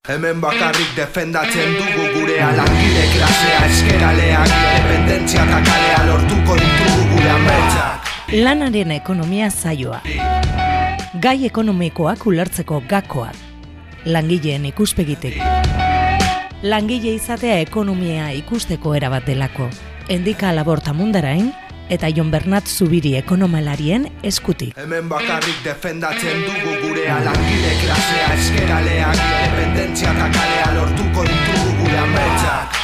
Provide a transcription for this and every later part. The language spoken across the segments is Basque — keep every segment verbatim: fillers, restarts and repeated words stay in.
Hemen bakarrik defendatzen dugu gurea, langile klasea, eskeraleak, independentzia eta kalea lortuko ditugu gure ametsak. Lanaren ekonomia saioa. Gai ekonomikoak ulertzeko gakoak. Langileen ikuspegitik. Langile izatea ekonomia ikusteko erabat delako. Endika Laborta Mundarain eta Jon Bernat Zubiri ekonomalarien eskutik. Hemen bakarrik defendatzen dugu gurea, langile klasea, eskeraleak, independentzia eta kalea lortuko ditugu gure ametsak.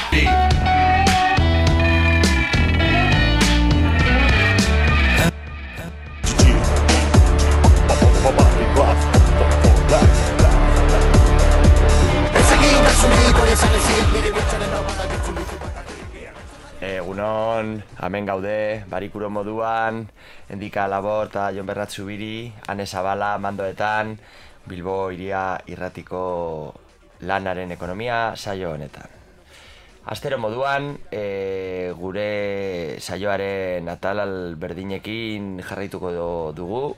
Egunon, hemen gaude, barikuro moduan, Endika Labor eta Jon Bernat Zubiri, Ane Zabala, mandoetan, Bilbo iria irratiko lanaren ekonomia saio honetan. Astero moduan, e, gure saioaren atal berdinekin jarraituko dugu.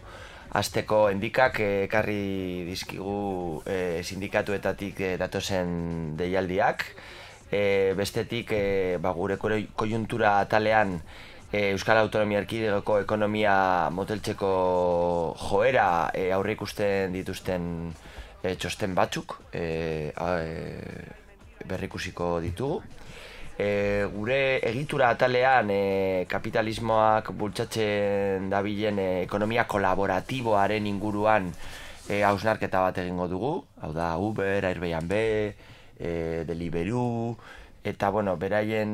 Asteko Endikak ekarri dizkigu e, sindikatuetatik e, datozen deialdiak. E, bestetik e, ba, gure koiuntura atalean e, Euskal Autonomia Erkidegoko ekonomia moteltzeko joera e, aurre ikusten dituzten e, txosten batzuk e, e, berrikusiko ditugu. E, gure egitura atalean e, kapitalismoak bultzatzen dabilen e, ekonomia kolaboratiboaren inguruan e, hausnarketa bat egingo dugu. Hau da Uber, Airbnb, E, Deliveroo, eta bueno, beraien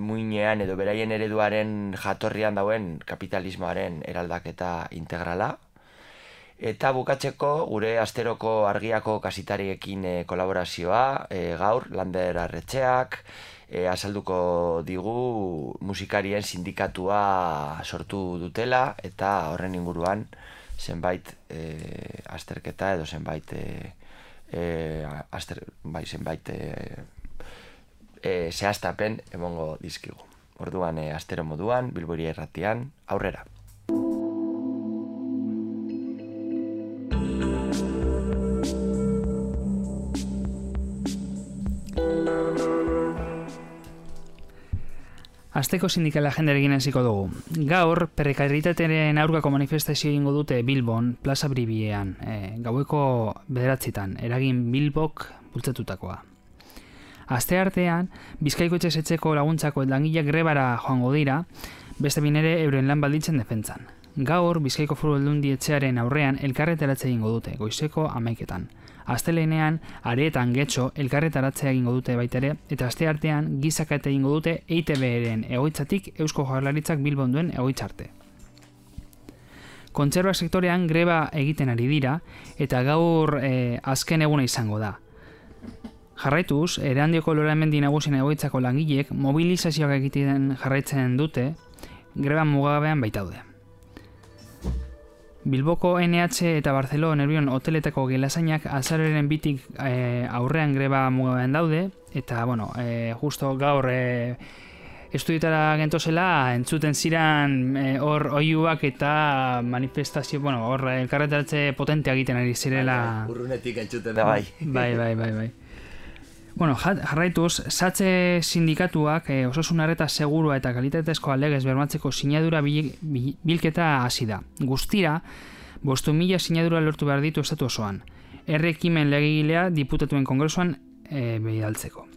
muinean edo beraien ereduaren jatorrian dauen kapitalismoaren eraldaketa integrala. Eta bukatzeko gure asteroko argiako kasitariekin e, kolaborazioa, e, gaur Lander Arretxeak e, azalduko digu musikarien sindikatua sortu dutela eta horren inguruan zenbait e, azterketa edo zenbait e, E, aster, bai, zenbait e, e, zehaztapen emongo dizkigu. Orduan e, astero moduan, Bilbo iria irratian, aurrera. Asteko sindikal agendarekin hasiko dugu. Gaur, prekaritatearen aurkako manifestazio egingo dute Bilbon, Plaza Bribiean, e, gaueko bederatzitan, eragin Bilbok bultzatutakoa. Aste artean, Bizkaiko etxezetxeko laguntzako langileak grebara joango dira, beste binere euren lan baldintzen defentsan. Gaur, Bizkaiko Foru Aldundi etxearen aurrean elkarretaratze egingo dute, goizeko hamaiketan. Astelenean, areetan getxo elkarretaratzea egingo dute baitere, eta aste artean gizakate egingo dute E I T B-ren egoitzatik Eusko Jaurlaritzak Bilbon duen egoitzarte. Kontserbak sektorean greba egiten ari dira, eta gaur e, azken eguna izango da. Jarraituz, Erandioko Loramendi nagusien egoitzako langileek mobilizazioak egiten jarraitzen dute, greba mugabean baitaude. Bilboko N H eta Barcelona Nervion hoteletako gelasainak azararen bitik e, aurrean greba mugabean daude, eta, bueno, e, justo gaur e, estudietara gentozela entzuten ziran hor e, oiuak eta manifestazio, bueno, hor elkarretaratze potentea egiten ari zirela. Urrunetik entzuten da bai. Bai, bai, bai, bai. Bueno, jarraituz, Satze sindikatuak e, osasun arreta segurua eta kalitatezko alegez bermatzeko sinadura bil, bil, bilketa hasi da. Guztira, bostu mila sinadura lortu behar ditu estatu osoan. Errekimen legegilea diputatuen kongresuan e, bidaltzeko.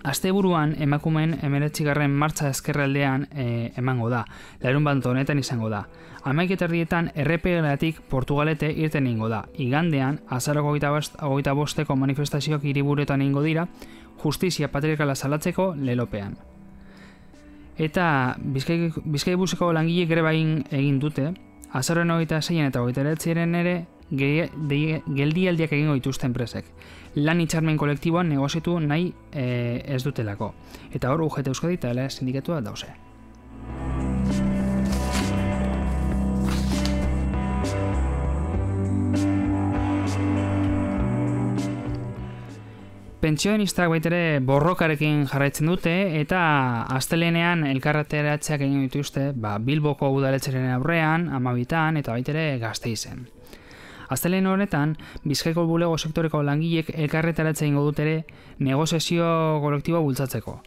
Asteburuan emakumeen hemeretzigarren martxa ezkerraldean e, emango da, larun bat honetan izango da. Hamaiketerdietan errepegelatik Portugalete irten ingo da. Igandean, azaroko hogeita bosteko manifestazioak hiriburuetan ingo dira, justizia patriarkala salatzeko lelopean. Eta Bizkai, Bizkaibuseko langile greba egin dute, azaroren hogeita zeian eta hogeita eratziaren ere geldialdiak egingo dituzten enpresek. Lan hitzarmen kolektiboan negoziatu nahi e, ez dutelako. Eta hor U G T Euskadi eta L sindikatua dauze. Pentsionistak baitere borrokarekin jarraitzen dute eta astelenean elkarreteratzeak egin dituzte ba, Bilboko udaletxeren aurrean, Amabitan eta baitere Gasteizen. Astelehen horretan, Bizkaiko bulego sektoreko langilek elkarretaratze egingo dut ere negoziazio kolektiboa bultzatzeko.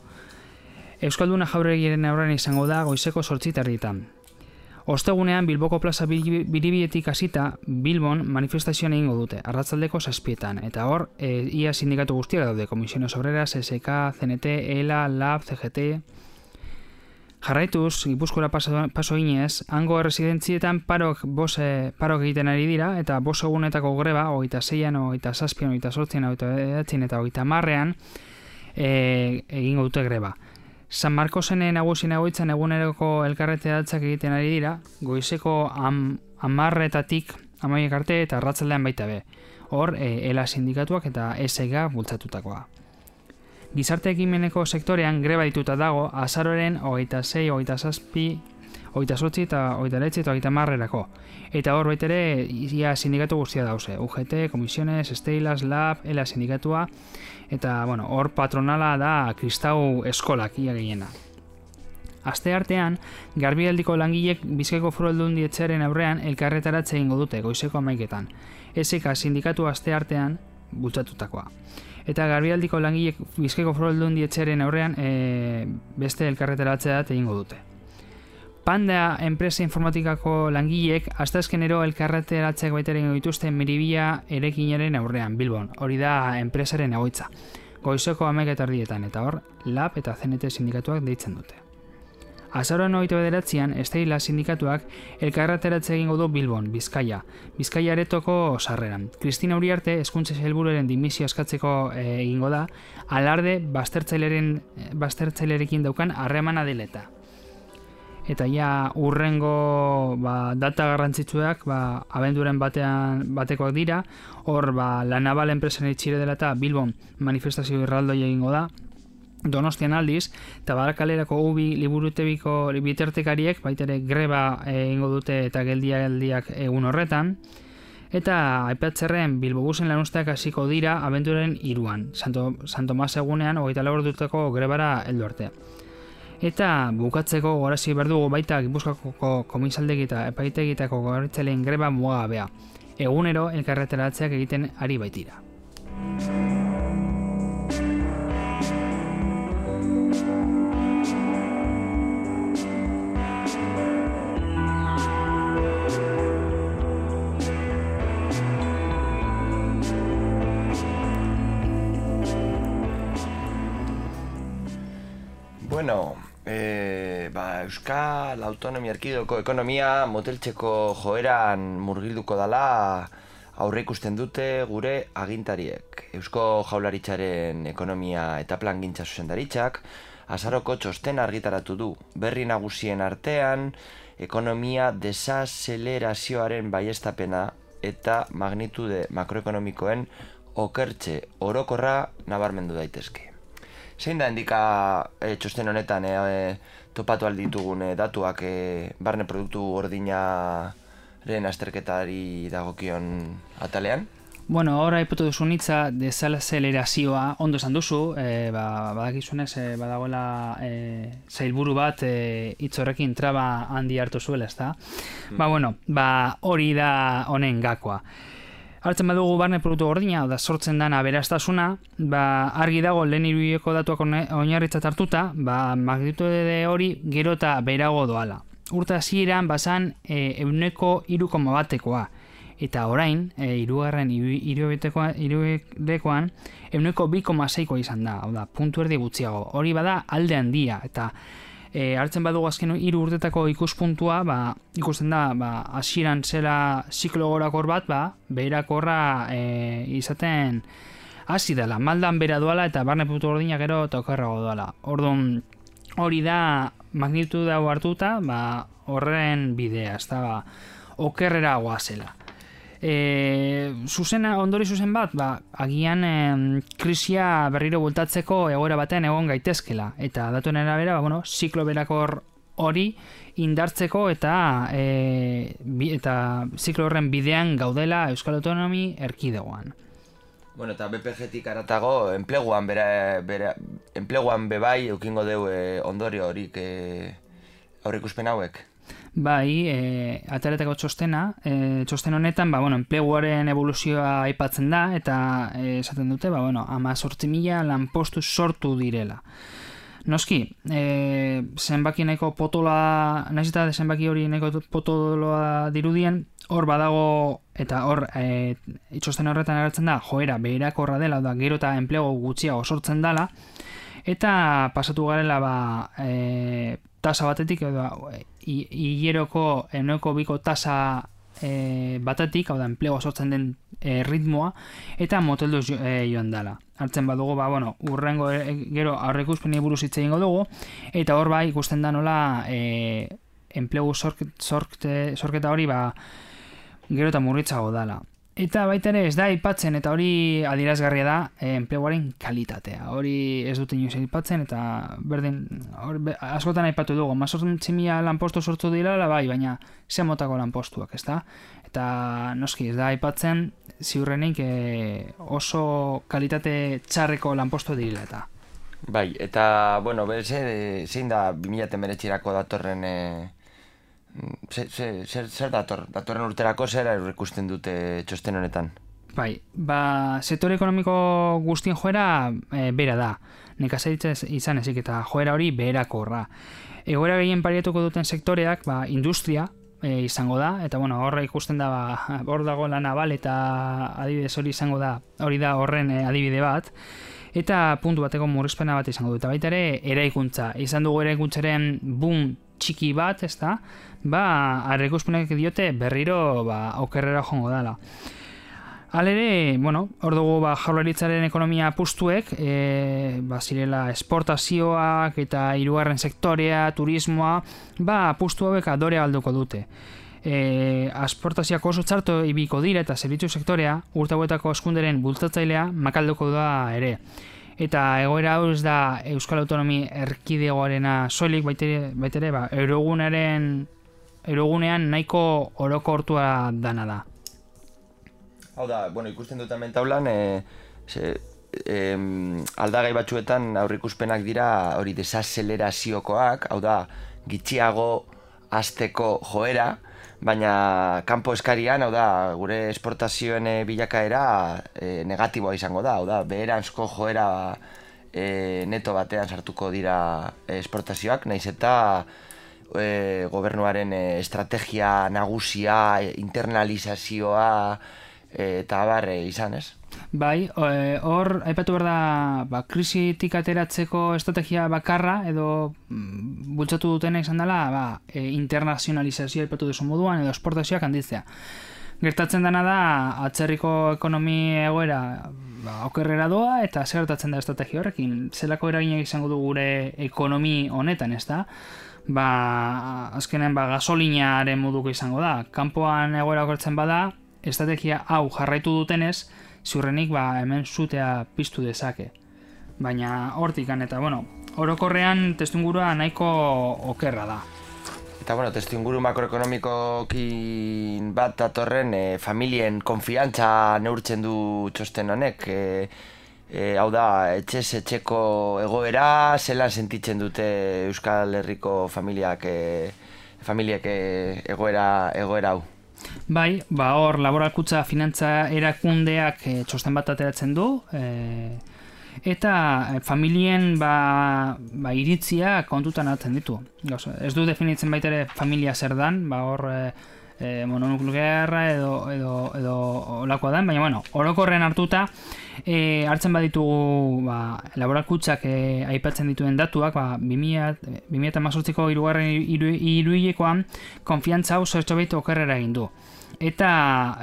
Euskalduna Jauregiaren aurrean izango da goizeko zortzi terdietan. Ostegunean Bilboko plaza Biribietik hasita Bilbon manifestazioan egingo dute, arratsaldeko zazpietan, eta hor e, ia sindikatu guztiak daude, Comisiones Obreras, S K, C N T, E L A, Lab, C G T. Jarraituz, Gipuzkoara paso, paso inez, hango erresidentzietan parok, bos, e, parok egiten ari dira, eta bos egunetako greba, hogeita zeian, hogeita zazpian, hogeita zortzian, hogeita edatzen, eta hogeita marrean e, egingo dute greba. San Marcosen nagusien egoitzan eguneroko elkarreteratzak egiten ari dira, goizeko am, amarretatik amaiek arte eta arratsaldean baita be. Hor, e, E L A sindikatuak eta S G bultzatutakoa. Gizarte ekimeneko sektorean greba dituta dago azaroren hogeita sei, hogeita zazpi, hogeita zortzi eta hogeita bederatzi eta hogeita hamarrerako. Eta hor baitere ia sindikatu guztia dauze. U G T, Comisiones, Steilas, Lab, E L A sindikatua, eta bueno, hor patronala da Kristau eskolak ia gehiena. Aste artean, Garbialdiko langilek Bizkaiko Foru Aldundietxearen aurrean elkarretaratze egingo dute goizeko hamaiketan. S K sindikatu aste artean bultzatutakoa. Eta Garbialdiko langilek Bizkaiko Foru Aldundietxearen aurrean e, beste elkarretaratzea egingo dute. Panda enpresa informatikako langilek asteazkenero elkarreteratzeak baita egingo dituzte Miribia erekinaren aurrean Bilbon. Hori da enpresaren egoitza. Goizeko hamaika terdietan eta hor Lab eta C N T sindikatuak deitzen dute. Azaroan hogeita bederatzian, Esteila sindikatuak elkarreteratze egingo du Bilbon, Bizkaia. Bizkaia aretoko sarreran. Kristina Uriarte hezkuntza sailburuaren dimisio eskatzeko e, egingo da, alarde baztertzaileren baztertzailerekin daukan harremana deleta. Eta ja urrengo ba, data garrantzitsuak ba, abenduren batean batekoak dira, hor ba, La Naval enpresen itxire dela eta Bilbon manifestazio irraldoi egingo da, Donostian aldiz, eta Barakalerako ubi liburutebiko bitartekariek baitere greba egingo dute eta geldialdiak egun horretan, eta aipatzerren Bilbobusen lanuzteak hasiko dira abenduren hiruan, Santo, Santo Mas egunean hogeita lau ordutako grebara heldu arte. Eta bukatzeko gorazi berdugu baita Gipuzkoako komisaldegi eta epaitegitako goratzaileen greba mugagabea. Egunero elkarreteratzeak egiten ari baitira. Bueno, e, ba, Euskal Autonomia Erkidegoko ekonomia moteltzeko joeran murgilduko dela aurre ikusten dute gure agintariek. Eusko Jaurlaritzaren ekonomia eta plangintza zuzendaritzak azaroko txosten argitaratu du. Berri nagusien artean ekonomia desazelerazioaren baiestapena eta magnitude makroekonomikoen okertze orokorra nabarmendu daitezke. Zein da indika e, txosten honetan e, e, topatu alditugun e, datuak e, barne produktu gordinaren azterketari dagokion atalean? Bueno, ahora aipatu duzun hitza desazelerazioa ondo esan duzu, e, ba, badakizunez e, badagoela e, zailburu bat e, hitz horrekin traba handi hartu zuela, ezta? Mm. Ba, bueno, ba, hori da honen gakoa. Hartzen badugu barne produktu gordina, da sortzen dana aberastasuna, ba, argi dago lehen hiruhileko datuak oinarritzat hartuta, ba, magnitude hori gero eta beherago doala. Urte hasieran bazan e, ehuneko hiru koma batekoa. Eta orain, e, hirugarren hiruhilekoan ehuneko bi koma seikoa izan da, hau da, puntu erdi gutxiago. Hori bada alde handia, eta E, hartzen badugu azken hiru urtetako ikuspuntua, ba, ikusten da, ba, hasieran zela ziklo gorakor bat, ba, beherakorra e, izaten hasi dela, maldan bera doala eta barne produktu gordina gero eta okerrago doala. Orduan, hori da magnitude hau hartuta, ba, horren bidea, ez da, ba, okerrera goazela. E, zuzena, ondori zuzen bat, ba, agian e, krisia berriro bultatzeko egoera batean egon gaitezkela. Eta datuen arabera, ba, bueno, ziklo berakor hori indartzeko eta e, bi, eta ziklo horren bidean gaudela Euskal Autonomi Erkidegoan. Bueno, eta B P G-tik aratago, enpleguan, bera, bera, enpleguan bebai eukingo deu e, ondorio horik e, aurreikuspen hauek. Bai, e, ataretako txostena, e, txosten honetan, ba, bueno, enpleguaren evoluzioa aipatzen da, eta e, esaten dute, ba, bueno, hemezortzi mila lanpostu sortu direla. Noski, e, zenbaki nahiko potola, nahiz eta zenbaki hori nahiko potoloa dirudien, hor badago, eta hor e, txosten horretan agertzen da, joera beherakorra dela, da gero eta enplegu gutxiago sortzen dela, eta pasatu garela ba, e, tasa batetik, edo hileroko ehuneko biko tasa e, batetik, hau da, enplegua sortzen den e, ritmoa, eta moteldu jo, e, joan dela. Hartzen badugu, ba, bueno, urrengo e, gero aurreikuspeni buruz hitz egingo dugu, eta hor bai ikusten da nola e, enplegu sork, sorkte, sorketa hori ba, gero eta murritzago dela. Eta baita ere ez da aipatzen, eta hori adierazgarria da e, enpleguaren kalitatea. Hori ez dute inoiz aipatzen, eta berdin, hor, be, askotan aipatu dugu, hemezortzi mila lanpostu sortu dira, bai, baina ze motako lanpostuak, ez da? Eta noski ez da aipatzen, ziurrenik e, oso kalitate txarreko lanpostu direla eta. Bai, eta, bueno, ze, zein da bi mila hemeretzirako datorren... E... Zer, zer, zer dator? Datorren urterako zer ikusten dute txosten honetan? Bai, ba, sektore ekonomiko guztien joera e, bera da. Nekazaritza izan ezik eta joera hori beherakorra. Egoera gehien pariatuko duten sektoreak, ba, industria e, izango da, eta bueno, horra ikusten da, ba, hor dago la naval eta adibidez hori izango da, hori da horren e, adibide bat. Eta puntu bateko murrizpena bat izango dut. Baita ere, eraikuntza. Izan dugu eraikuntzaren boom txiki bat, ez da? Ba, aurreikuspenak diote berriro ba, okerrera joango dela. Halere, bueno, hor dugu ba, jaurlaritzaren ekonomia apustuek, e, ba, zirela esportazioak eta hirugarren sektorea, turismoa, ba, apustu hauek adore alduko dute. E, esportazioak oso txarto ibiko dira eta zerbitzu sektorea, urte hauetako eskunderen bultzatzailea makalduko da ere. Eta egoera hau ez da Euskal Autonomi Erkidegoarena soilik, baitere, baitere ba, eurogunaren, eurogunean nahiko orokortua dana da. Hau da, bueno, ikusten dut hemen taulan, e, ze, e, aldagai batzuetan aurreikuspenak dira hori desazeleraziokoak, hau da, gitxiago hasteko joera, baina kanpo eskarian, hau da, gure esportazioen e, bilakaera e, negatiboa izango da, hau da, beheranzko joera e, neto batean sartuko dira esportazioak, nahiz eta e, gobernuaren e, estrategia nagusia, e, internalizazioa e, eta abar e, izan, ez? Bai, hor, aipatu behar da, ba, krisitik ateratzeko estrategia bakarra, edo mm, bultzatu dutena izan dela, ba, e, internazionalizazioa aipatu duzu moduan, edo esportazioak handitzea. Gertatzen dena da, atzerriko ekonomi egoera ba, okerrera doa, eta zer gertatzen da estrategia horrekin. Zelako eraginak izango du gure ekonomi honetan, ez da? Ba, azkenen ba, gasolinaren moduko izango da. Kanpoan egoera okertzen bada, estrategia hau jarraitu dutenez, ziurrenik ba, hemen zutea piztu dezake. Baina hortikan eta, bueno, orokorrean testuingurua nahiko okerra da. Eta, bueno, testuinguru makroekonomikokin bat datorren e, familien konfiantza neurtzen du txosten honek. E, e, hau da, etxez etxeko egoera, zelan sentitzen dute Euskal Herriko familiak, e, familiak e, egoera, egoera hau. Bai, ba hor laboralkutza finantza erakundeak e, txosten bat ateratzen du, e, eta e, familien ba, ba, iritzia kontutan hartzen ditu. Gauza, ez du definitzen baita ere familia zer dan, ba hor e, e, mononuklearra edo, edo, edo olakoa dan, baina bueno, orokorren hartuta e, hartzen baditugu ba, laboralkutzak e, aipatzen dituen datuak, ba, bi mila hemezortziko hirugarren hiruhilekoan konfiantza hau zertxobait okerrera egin du. Eta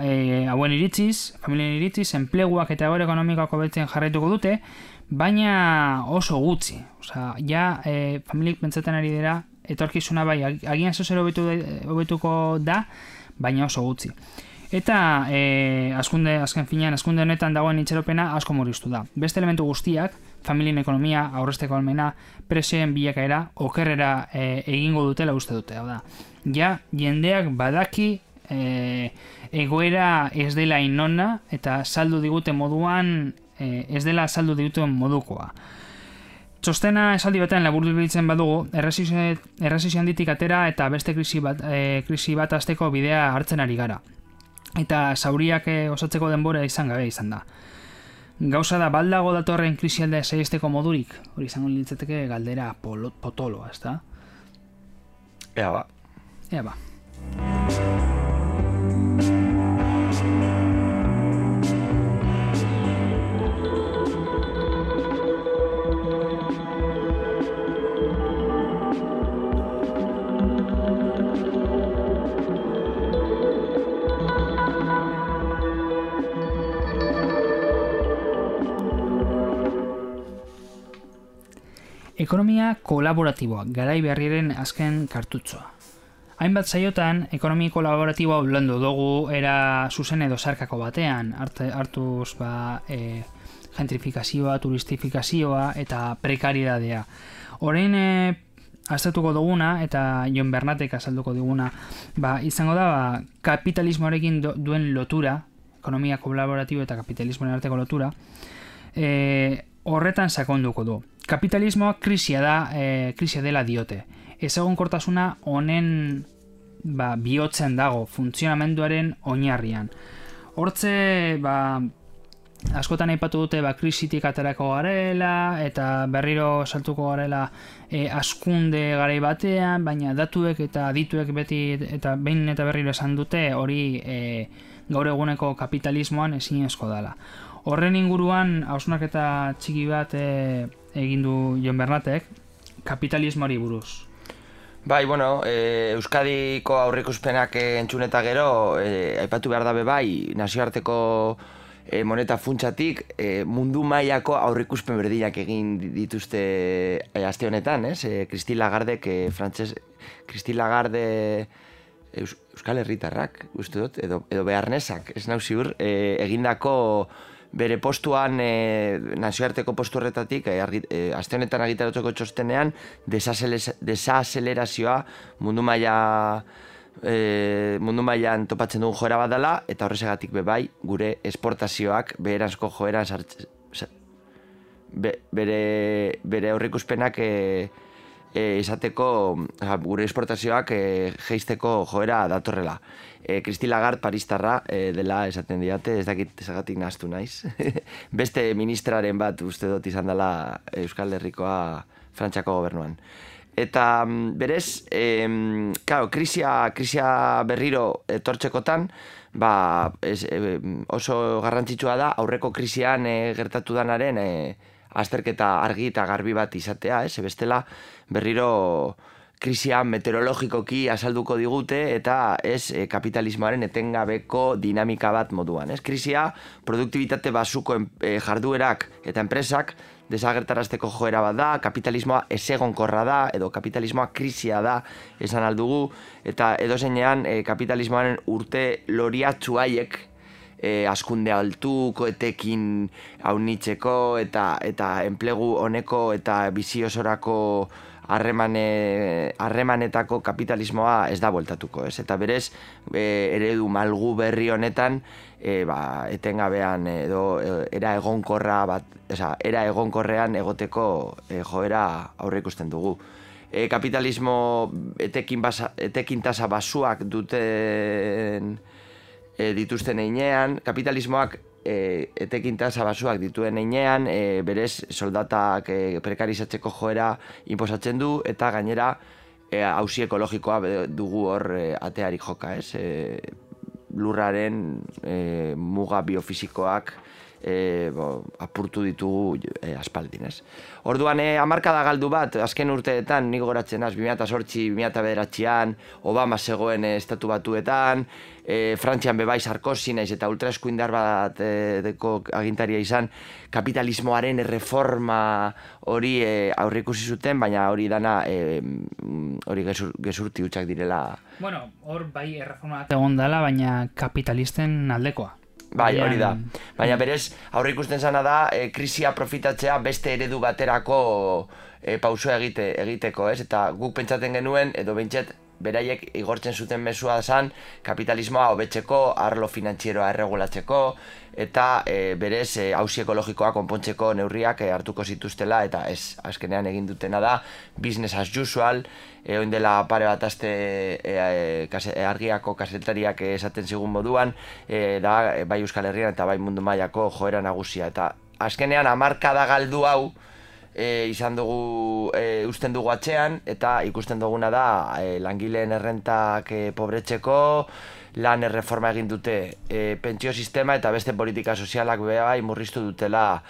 e, hauen iritziz, familien iritziz, enpleguak eta egoera ekonomikoak hobetzen jarraituko dute, baina oso gutxi. Osea, ja e, familiek pentsatzen ari dira, etorkizuna bai, agian zozer hobetuko da, baina oso gutxi. Eta e, askunde, azken finean, askunde honetan dagoen itxeropena asko murriztu da. Beste elementu guztiak, familien ekonomia, aurrezteko almena, presioen bilakaera, okerrera e, egingo dutela uste dute. Hau da, ja, jendeak badaki e, egoera ez dela inona eta saldu digute moduan, e, ez dela saldu diguten modukoa. Txostena esaldi batean laburbiltzen badugu, erresizio handitik atera eta beste krisi bat, e, krisi bat azteko bidea hartzen ari gara. Eta zauriak e, osatzeko denbora izan gabe izan da. Gauza da, baldago datorren krisialda saihesteko modurik? Hori izango litzateke galdera polo, potoloa, ez da? Ea ba. Ea ba. Ekonomia kolaboratiboa, garai berriaren azken kartutzoa. Hainbat saiotan, ekonomia kolaboratiboa ulandu dugu era zuzen edo zarkako batean, hartuz ba, e, gentrifikazioa, turistifikazioa eta prekaridadea. Orain e, aztertuko duguna, eta Jon Bernatek azalduko diguna, ba, izango da ba, kapitalismoarekin do, duen lotura, ekonomia kolaboratibo eta kapitalismoaren arteko lotura, e, horretan sakonduko du. Kapitalismoa krisia da, e, krisia dela diote. Ezegonkortasuna honen ba, bihotzen dago, funtzionamenduaren oinarrian. Hortze, ba, askotan aipatu dute ba, krisitik aterako garela, eta berriro saltuko garela e, askunde garai batean, baina datuek eta adituek beti eta behin eta berriro esan dute hori e, gaur eguneko kapitalismoan ezinezko dela. Horren inguruan, hausnarketa txiki bat e, egin du Jon Bernatek, kapitalismoari buruz. Bai, bueno, e, Euskadiko aurreikuspenak entzun eta gero, e, aipatu behar dabe bai, nazioarteko e, moneta funtsatik, e, mundu mailako aurreikuspen berdinak egin dituzte e, aste honetan, ez? E, Christine Lagarde, que frantses, Christine Lagarde Eus, Euskal Herritarrak, uste dut, edo, edo beharnesak, ez nau ziur, e, egindako bere postuan, e, nazioarteko postu horretatik, e, argi, e, aste honetan argitaratzeko txostenean, desazelerazioa mundu maila e, mundu mailan topatzen dugun joera bat dela, eta horrezagatik bebai gure esportazioak beheranzko joeran sartzen, be, bere, bere aurreikuspenak e, e, izateko, oza, gure esportazioak e, jeisteko joera datorrela. E, Christine Lagarde paristarra e, dela esaten diate, ez dakit ezagatik nahaztu naiz. Beste ministraren bat uste dut izan dela Euskal Herrikoa Frantziako gobernuan. Eta berez, e, claro, krisia, krisia berriro etortzekotan, ba, ez, e, oso garrantzitsua da aurreko krisian e, gertatu danaren e, azterketa argi eta garbi bat izatea, ez? Bestela berriro krisia meteorologikoki azalduko digute eta ez e, kapitalismoaren etengabeko dinamika bat moduan. Ez? Krisia produktibitate basuko e, jarduerak eta enpresak desagertarazteko joera bat da, kapitalismoa ezegonkorra da, edo kapitalismoa krisia da esan aldugu, eta edozeinean e, kapitalismoaren urte loriatzu haiek e, askunde altuko etekin aunitzeko eta, eta enplegu honeko eta bizi osorako Harremane, harremanetako kapitalismoa ez da bueltatuko, ez? Eta berez, e, eredu malgu berri honetan, e, ba, etengabean edo era egonkorra bat, oza, era egonkorrean egoteko e, joera aurre ikusten dugu. E, kapitalismo etekin, basa, etekin tasa basuak duten e, dituzten einean, kapitalismoak E, etekin tasa basuak dituen einean, e, berez soldatak e, prekarizatzeko joera inposatzen du, eta gainera e, auzi ekologikoa dugu hor e, atearik joka, ez? E, lurraren e, muga biofisikoak e, bo, apurtu ditugu e, aspaldin, ez? Orduan, e, hamarkada galdu bat, azken urteetan, nik goratzen az, bi mila zortzi, bi mila bederatzian, Obama zegoen e, estatu batuetan, E, Frantzian bebai Sarkozy naiz eta ultraeskuindar bat e, deko agintaria izan, kapitalismoaren erreforma hori e, aurreikusi zuten, baina hori dana e, hori gezur, gezurti hutsak direla. Bueno, hor bai erreforma bat egon dela, baina kapitalisten aldekoa. Bai, hori da. Baina berez, aurreikusten zana da, e, krisia profitatzea beste eredu baterako e, pausua egite, egiteko, ez? Eta guk pentsaten genuen, edo bentset, beraiek igortzen zuten mezua zan kapitalismoa hobetzeko, arlo finantzieroa erregulatzeko, eta e, berez e, auzi ekologikoa konpontzeko neurriak e, hartuko zituztela, eta ez, azkenean egin dutena da business as usual. E, oin dela pare bat aste e, e, kase, e, argiako kasetariak esaten zigun moduan, e, da e, bai Euskal Herrian eta bai mundu mailako joera nagusia, eta azkenean hamarkada galdu hau e, izan dugu, e, usten dugu atzean, eta ikusten duguna da e, langileen errentak e, pobretzeko, lan erreforma egin dute e, pentsio sistema eta beste politika sozialak bai murriztu dutela.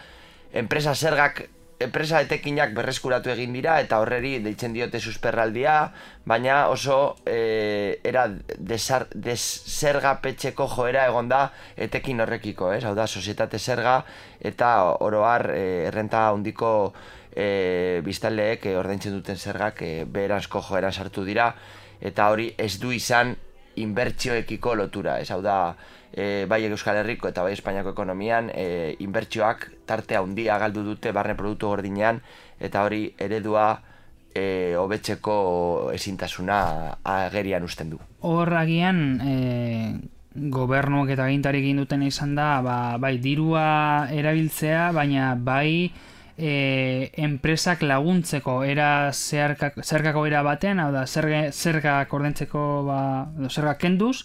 Enpresa zergak, enpresa etekinak berreskuratu egin dira eta horreri deitzen diote susperraldia, baina oso e, era deszergapetxeko joera egon da etekin horrekiko, ez? Hau da, sozietate zerga eta oroar e, errenta handiko e, biztanleek e, ordaintzen duten zergak e, beheranzko joeran sartu dira, eta hori ez du izan inbertsioekiko lotura, ez? Hau da, e, bai Euskal Herriko eta bai Espainiako ekonomian e, inbertsioak tartea handia galdu dute barne produktu gordinean, eta hori eredua e, hobetzeko ezintasuna agerian uzten du. Hor agian e, gobernuak eta agintarik egin duten izan da, ba, bai dirua erabiltzea, baina bai E, enpresak laguntzeko era zergako, zergako era batean, hau da, zerga, zergak ordentzeko, ba, edo zergak kenduz,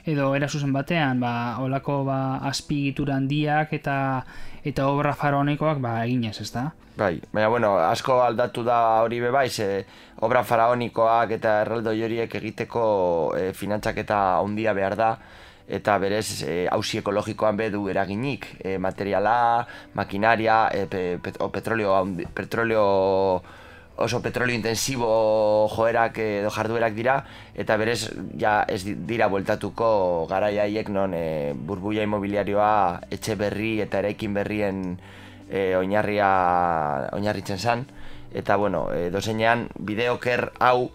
edo era zuzen batean, ba, olako ba, azpigitura handiak eta eta obra faraonikoak ba, eginez, ez da? Bai, baina, bueno, asko aldatu da hori bebai, ze obra faraonikoak eta erraldoi horiek egiteko e, finantzak eta handia behar da, eta berez auzi e, ekologikoan bedu eraginik, e, materiala, makinaria, e, pe, pet, o petrolio, petrolio, oso petrolio intensibo joerak edo jarduerak dira, eta berez ja ez dira bueltatuko garaiaiek non e, burbuia imobiliarioa etxe berri eta eraikin berrien e, oinarria oinarritzen zan, eta bueno, e, dozenean bide oker hau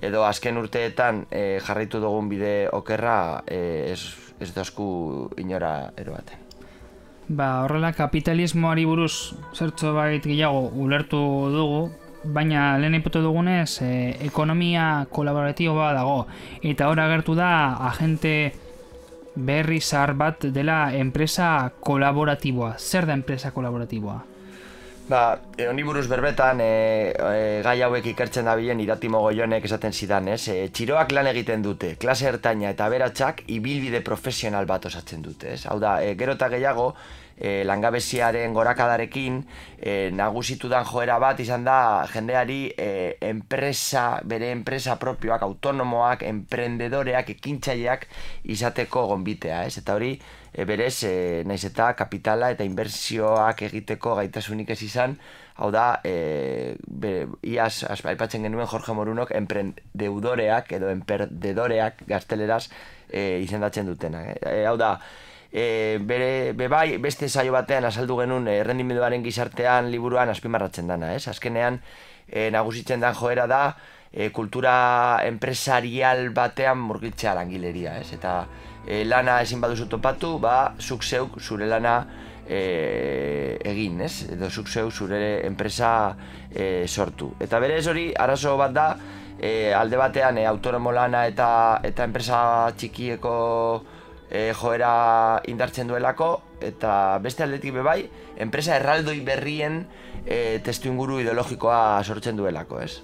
edo azken urteetan e, jarraitu dugun bide okerra e, ez, ez dozku inora eroaten. Ba, horrela kapitalismoari buruz zertxo bait gehiago ulertu dugu, baina lehen ipatu dugunez e, ekonomia kolaboratiboa dago, eta hor agertu da agente berri zahar bat dela enpresa kolaboratiboa. Zer da enpresa kolaboratiboa? Ba, e, honi buruz berbetan, e, e, gai hauek ikertzen dabilen Iratimo Goionek esaten zidan, ez? E, txiroak lan egiten dute, klase ertaina eta aberatsak ibilbide profesional bat osatzen dute, ez? Hau da, e, gero eta gehiago, e, langabeziaren gorakadarekin, e, nagusitu dan joera bat izan da jendeari e, enpresa, bere enpresa propioak, autonomoak, emprendedoreak, ekintzaileak izateko gonbitea, ez? Eta hori, E, berez, e, naiz eta kapitala eta inbertsioak egiteko gaitasunik ez izan, hau da, e, be, iaz aipatzen genuen Jorge Morunok emprendeudoreak edo emperdedoreak gazteleraz e, izendatzen dutena. E, hau da, e, bere, be bai, beste saio batean azaldu genuen errendimenduaren gizartean liburuan azpimarratzen dana, ez? Azkenean, e, nagusitzen dan joera da, e, kultura empresarial batean murgiltzea langileria, ez? Eta E, lana ezin baduzu topatu, ba, zuk zeuk zure lana e, egin, ez? Edo zuk zeuk zure enpresa e, sortu. Eta berez hori, arazo bat da, e, alde batean e, autonomo lana eta, eta enpresa txikieko e, joera indartzen duelako, eta beste aldetik bebai, enpresa erraldoi berrien e, testu inguru ideologikoa sortzen duelako, ez?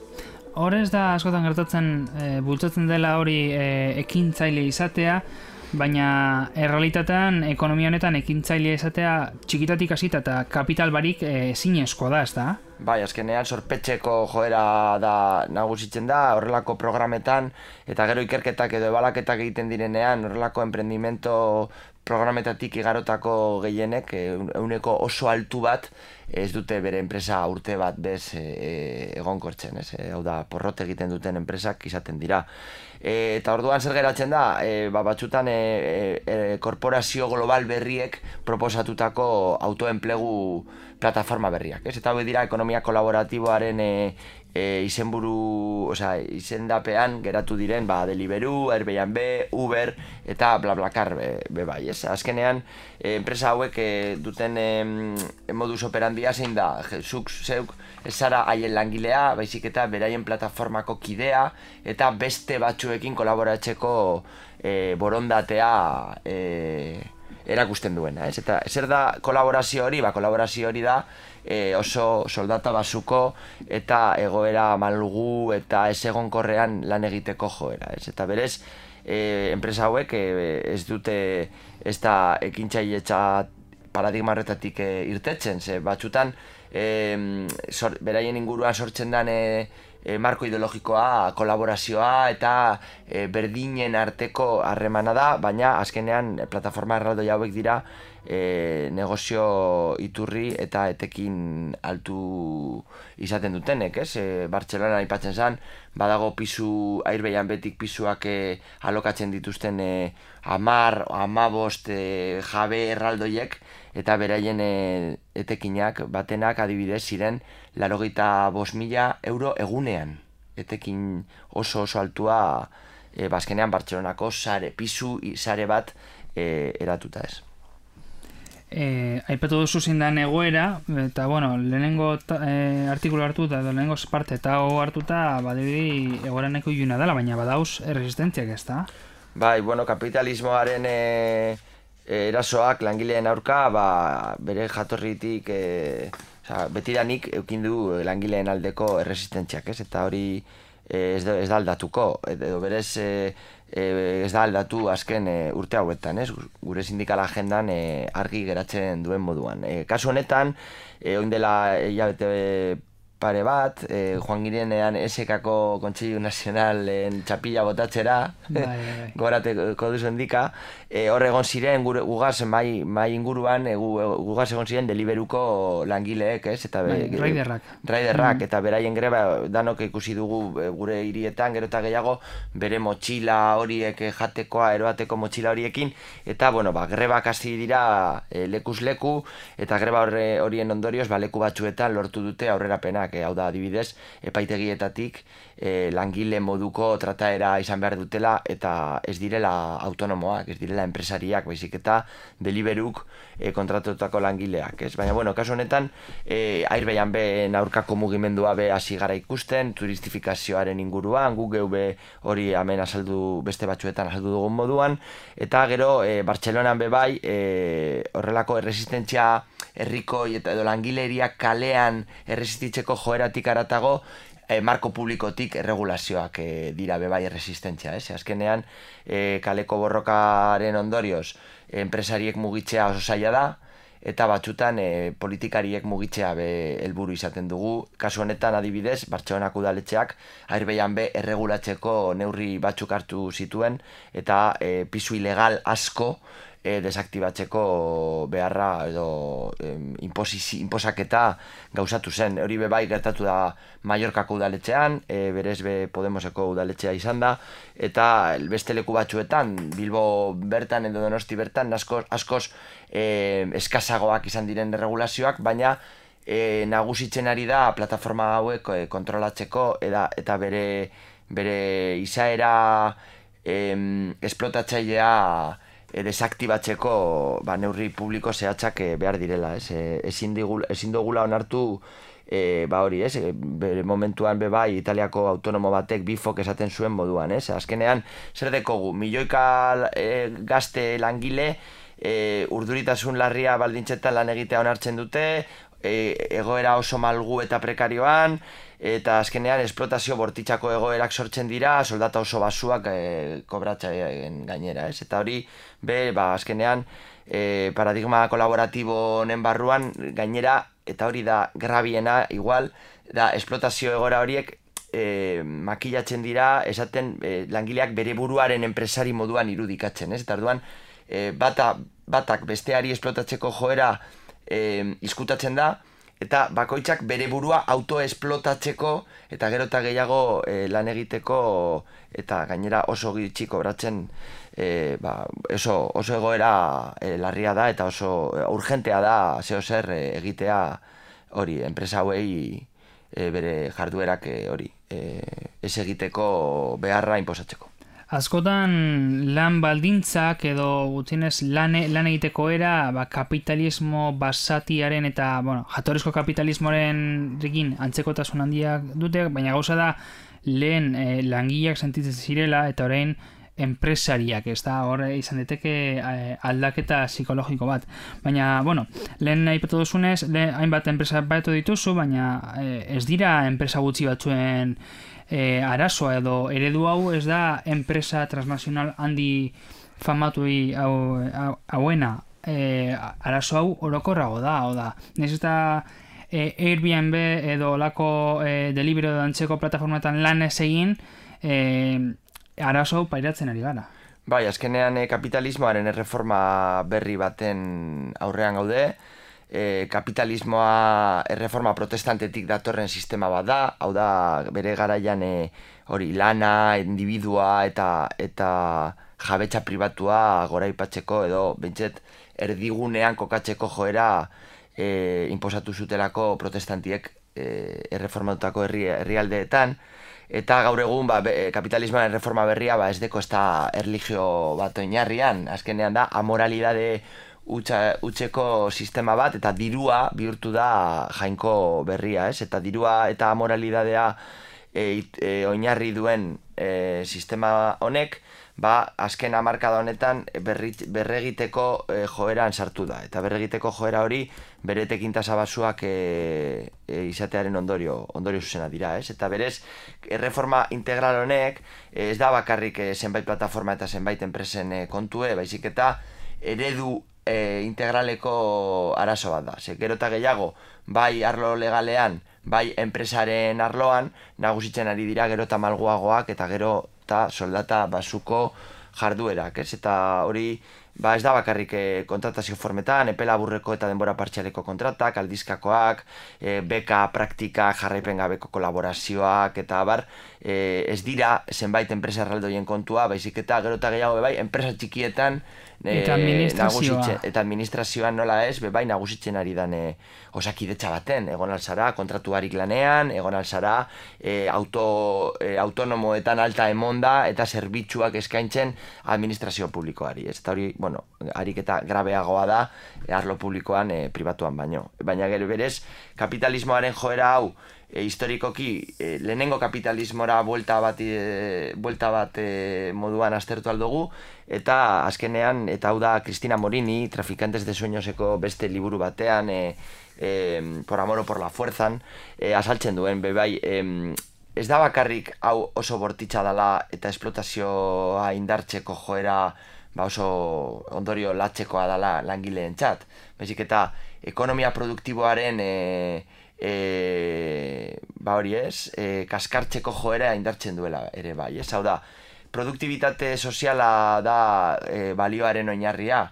Horrez da askotan gertatzen, e, bultzatzen dela hori e, ekintzaile izatea, baina errealitatean ekonomia honetan ekintzaile izatea txikitatik hasita eta kapital barik ezinezkoa da, ez da? Bai, azkenean sorpetxeko joera da nagusitzen da, horrelako programetan, eta gero ikerketak edo ebalaketak egiten direnean, horrelako emprendimento programetatik igarotako gehienek, ehuneko oso altu bat, ez dute bere enpresa urte bat bez e, egonkortzen, ez? E, hau da, porrot egiten duten enpresak izaten dira. E, eta orduan zer geratzen da, e, ba, batzutan e, e, korporazio global berriek proposatutako autoenplegu plataforma berriak, ez? Eta hau dira ekonomia kolaboratiboaren e, e, izenburu, osea, izendapean geratu diren, ba, Deliveroo, Airbnb, Uber eta BlaBlaCar be, be bai, ez? Azkenean, e, enpresa hauek e, duten e, modus operandi trenbia zein da, zuk zeuk ez zara haien langilea, baizik eta beraien plataformako kidea, eta beste batzuekin kolaboratzeko e, borondatea e, erakusten duena, ez? Eta zer da kolaborazio hori? Ba, kolaborazio hori da e, oso soldata basuko eta egoera malgu eta ez egonkorrean lan egiteko joera, ez? Eta berez, e, enpresa hauek e, ez dute ez da ekintzailetza paradigma horretatik e, irtetzen, ze batzutan e, sor, beraien inguruan sortzen den e, e, marko ideologikoa, kolaborazioa eta e, berdinen arteko harremana da, baina azkenean plataforma erraldoi hauek dira e, negozio iturri eta etekin altu izaten dutenek, ez? E, Bartzelona aipatzen zen, badago pisu, Airbnb betik pisuak e, alokatzen dituzten e, amar, amabost e, jabe erraldoiek, eta beraien e, etekinak, batenak adibidez ziren laurogeita bost mila euro egunean. Etekin oso oso altua e, bazkenean Bartzelonako sare, pisu sare bat e, eratuta ez. E, aipatu duzu zindan egoera, eta bueno, lehenengo e, artikulu hartuta, edo lehenengo parte eta hau hartuta, badibidi egoera neko iluna dela, baina badauz erresistentziak ez da? Bai, bueno, kapitalismoaren e, erasoak langileen aurka, ba, bere jatorritik e, oza, betiranik eukin du langileen aldeko erresistentziak, ez? Eta hori e, ez, da, ez da aldatuko, edo berez e, e, ez da aldatu azken e, urte hauetan, ez? Gure sindikala agendan e, argi geratzen duen moduan. E, kasu honetan, e, oin dela hilabete pare bat, e, joan girenean esekako Kontseilu Nazionalen txapila botatzera, bai, bai. Gorateko duzu endika, e, hor egon ziren gure, gugaz mai, mai inguruan, e, gugaz egon ziren Deliberuko langileek, ez? Eta be, bai, raiderrak. Raiderrak, mm. Eta beraien greba danok ikusi dugu gure hirietan, gero eta gehiago, bere motxila horiek jatekoa, eroateko motxila horiekin, eta, bueno, ba, grebak hasi dira e, lekuz leku, eta greba horien ondorioz, ba, leku batzuetan lortu dute aurrerapenak. Hau da, adibidez, epaitegietatik e, langile moduko trataera izan behar dutela eta ez direla autonomoak, ez direla enpresariak, baizik eta Deliberuk e, kontratutako langileak, ez? Baina, bueno, kasu honetan, e, Airbnb aurkako mugimendua be hasi gara ikusten, turistifikazioaren inguruan, gu geu be hori hemen azaldu, beste batzuetan azaldu dugun moduan, eta gero, e, Bartzelonan be bai, e, horrelako erresistentzia herrikoi eta edo langileriak kalean erresistitzeko joeratik aratago, e, marko publikotik erregulazioak e, dira bebai erresistentzia, ez? Azkenean, e, kaleko borrokaren ondorioz, enpresariek mugitzea oso zaila da, eta batzutan e, politikariek mugitzea be helburu izaten dugu. Kasu honetan adibidez, Bartzelonako udaletxeak Airbnb erregulatzeko neurri batzuk hartu zituen, eta e, pisu ilegal asko E, desaktibatzeko beharra edo e, inposaketa gauzatu zen. Hori be bai gertatu da Mallorcako udaletxean, e, berez be Podemoseko udaletxea izan da, eta beste leku batzuetan, Bilbo bertan edo Donosti bertan, askoz, askoz e, eskazagoak izan diren regulazioak, baina e, nagusitzen ari da plataforma hauek e, kontrolatzeko eda, eta bere, bere izaera e, esplotatzailea E, desaktibatzeko ba, neurri publiko zehatzak e, behar direla, ez? E, ezin, digul, ezin dugula onartu e, ba hori, ez? E, bere momentuan be bai Italiako autonomo batek bifok esaten zuen moduan, ez? Azkenean, zer dekogu, milioika e, gazte langile e, urduritasun larria baldintzetan lan egitea onartzen dute, e, egoera oso malgu eta prekarioan, eta azkenean esplotazio bortitzako egoerak sortzen dira, soldata oso basuak e, kobratzen gainera, ez? Eta hori, be, ba, azkenean e, paradigma kolaboratibo honen barruan gainera, eta hori da grabiena, igual, da esplotazio egoera horiek e, makilatzen dira, esaten e, langileak bere buruaren enpresari moduan irudikatzen, ez? Eta orduan, e, bata, batak besteari esplotatzeko joera e, izkutatzen da, eta bakoitzak bere burua autoesplotatzeko eta gero eta gehiago e, lan egiteko eta gainera oso gitxi kobratzen e, ba, oso, oso egoera e, larria da eta oso urgentea da zeo zer e, egitea hori, enpresa hauei e, bere jarduerak e, hori e, ez egiteko beharra inposatzeko. Askotan lan baldintzak edo gutienez lan, lan egiteko era ba, kapitalismo basatiaren eta bueno, jatorrizko kapitalismoaren rekin antzekotasun handiak dute, baina gauza da lehen eh, langileak sentitzen zirela eta orain enpresariak, ez da, hor izan deteke eh, aldaketa psikologiko bat. Baina, bueno, lehen aipatu duzunez, lehen hainbat enpresa batu dituzu, baina eh, ez dira enpresa gutxi batzuen E, arazoa edo eredu hau ez da enpresa transnazional handi famatui hau, hau, hauena e, arazo hau orokorrago da, hau da. Nez eta e, Airbnb edo olako e, Deliveroo edo antzeko plataformatan lan ez egin e, arazo hau pairatzen ari gara. Bai, azkenean e, kapitalismoaren erreforma berri baten aurrean gaude. E, kapitalismoa erreforma protestantetik datorren sistema bat da, hau da bere garaian e, hori lana, individua eta eta jabetza pribatua goraipatzeko edo bentset erdigunean kokatzeko joera e, inposatu zutelako protestantiek e, erreformatutako herri, herrialdeetan, eta gaur egun ba, be, kapitalismoaren erreforma berria ba, ez deko ez da erlijio bat oinarrian, azkenean da amoralidade utzeko sistema bat eta dirua bihurtu da jainko berria, ez? Eta dirua eta amoralidadea e, e, oinarri duen e, sistema honek, ba, azken hamarkada honetan berri, berregiteko e, joeran sartu da. Eta berregiteko joera hori bere tekintasa basuak e, e, izatearen ondorio, ondorio zuzena dira, ez? Eta berez, erreforma integral honek ez da bakarrik e, zenbait plataforma eta zenbait enpresen e, kontue, baizik eta eredu E, integraleko arazo bat da. Ze gero eta gehiago, bai arlo legalean, bai enpresaren arloan, nagusitzen ari dira gero eta malguagoak eta gero eta soldata basuko jarduerak, ez? Eta hori, ba ez da bakarrik e, kontratazio formetan, epe laburreko eta denbora partzialeko kontratak, aldizkakoak, e, beka, praktika, jarraipen gabeko kolaborazioak, eta bar, e, ez dira zenbait enpresa erraldoien kontua, baizik eta gero eta gehiago, bai, enpresa txikietan, Eta administrazioa. Eta administrazioan nola ez, bai nagusitzen ari dan e, osakidetza baten, egon alzara kontratuarik lanean, egon alzara e, auto, e, autonomoetan alta emonda eta zerbitzuak eskaintzen administrazio publikoari. Ez eta hori, bueno, harik eta grabeagoa da e, arlo publikoan e, pribatuan baino. Baina gero berez, kapitalismoaren joera hau E, historikoki e, lehenengo kapitalismora buelta bat, e, buelta bat e, moduan aztertu aldugu, eta azkenean, eta hau da Cristina Morini, Traficantes de Sueñoseko beste liburu batean, e, e, Por amor o por la fuerzan, e, azaltzen duen, bebai, e, ez da bakarrik hau oso bortitza dela eta esplotazioa indartzeko joera ba oso ondorio latzekoa dela langileentzat, baizik eta ekonomia produktiboaren e, E, ba hori ez, e, kaskartzeko joera indartzen duela ere bai, ez? Hau da, produktibitate soziala da e, balioaren oinarria,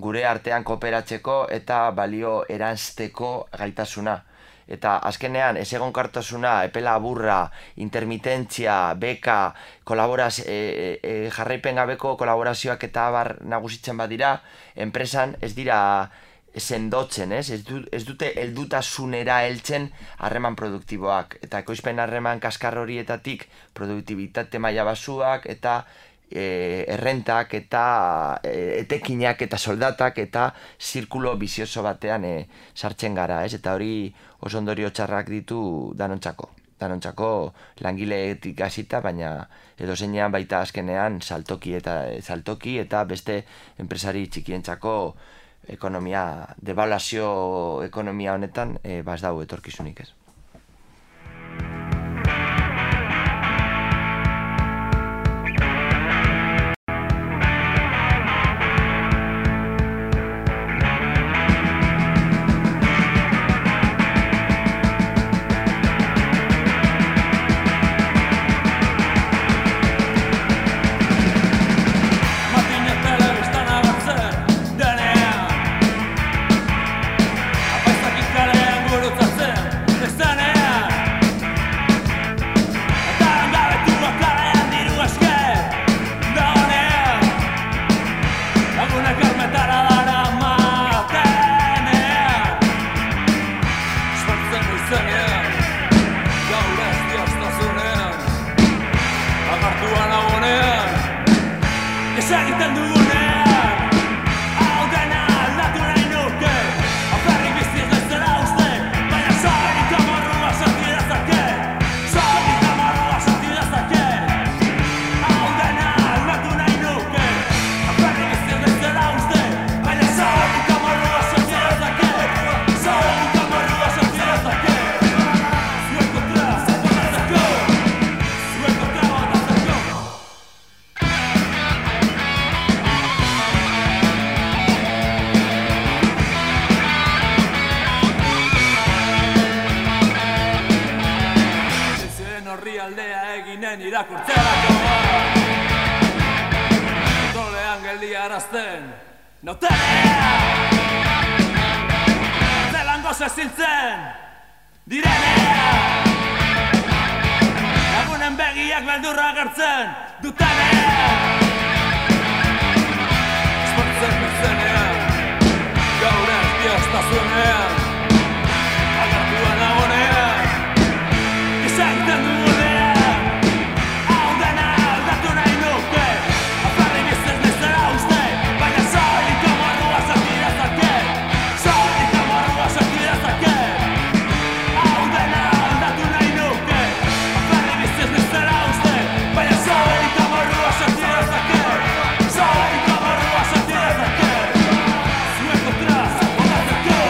gure artean kooperatzeko eta balio eranzteko gaitasuna. Eta azkenean, ez egonkartasuna, epe laburra, intermitentzia, beka, kolaboraz, e, e, jarraipen gabeko kolaborazioak eta abar nagusitzen badira, enpresan ez dira sendotzen, ez? Ez, du, ez dute heldutasunera heltzen harreman produktiboak. Eta ekoizpen harreman kaskar horietatik produktibitate maila basuak eta e, errentak eta e, etekinak eta soldatak eta zirkulo bizioso batean e, sartzen gara, ez? Eta hori oso ondorio txarrak ditu danontzako. Danontzako langileetik hasita, baina edo zeinean baita azkenean saltoki eta saltoki eta beste enpresari txikientzako ekonomia, devaluazio ekonomia honetan, e, baz dau etorkizunik ez. Apaizakin kalean gurutzatzen, ez hemen irakurtzerako kontrolean geldiarazten notelea zelango zeziltzen direnea lagunen begiak beldurra agertzen dutenea esportzen berzenean gaur ez dioztazunean agertuan agonean izaiten dugunean hau dena aldatu nahi nuke afarri bizez nezera uste baina soilik amorrua sentidezake soilik amorrua sentidezake hau dena aldatu nahi nuke afarri bizez nezera uste baina soilik amorrua sentidezake soilik amorrua sentidezake zuen kontra botatzeko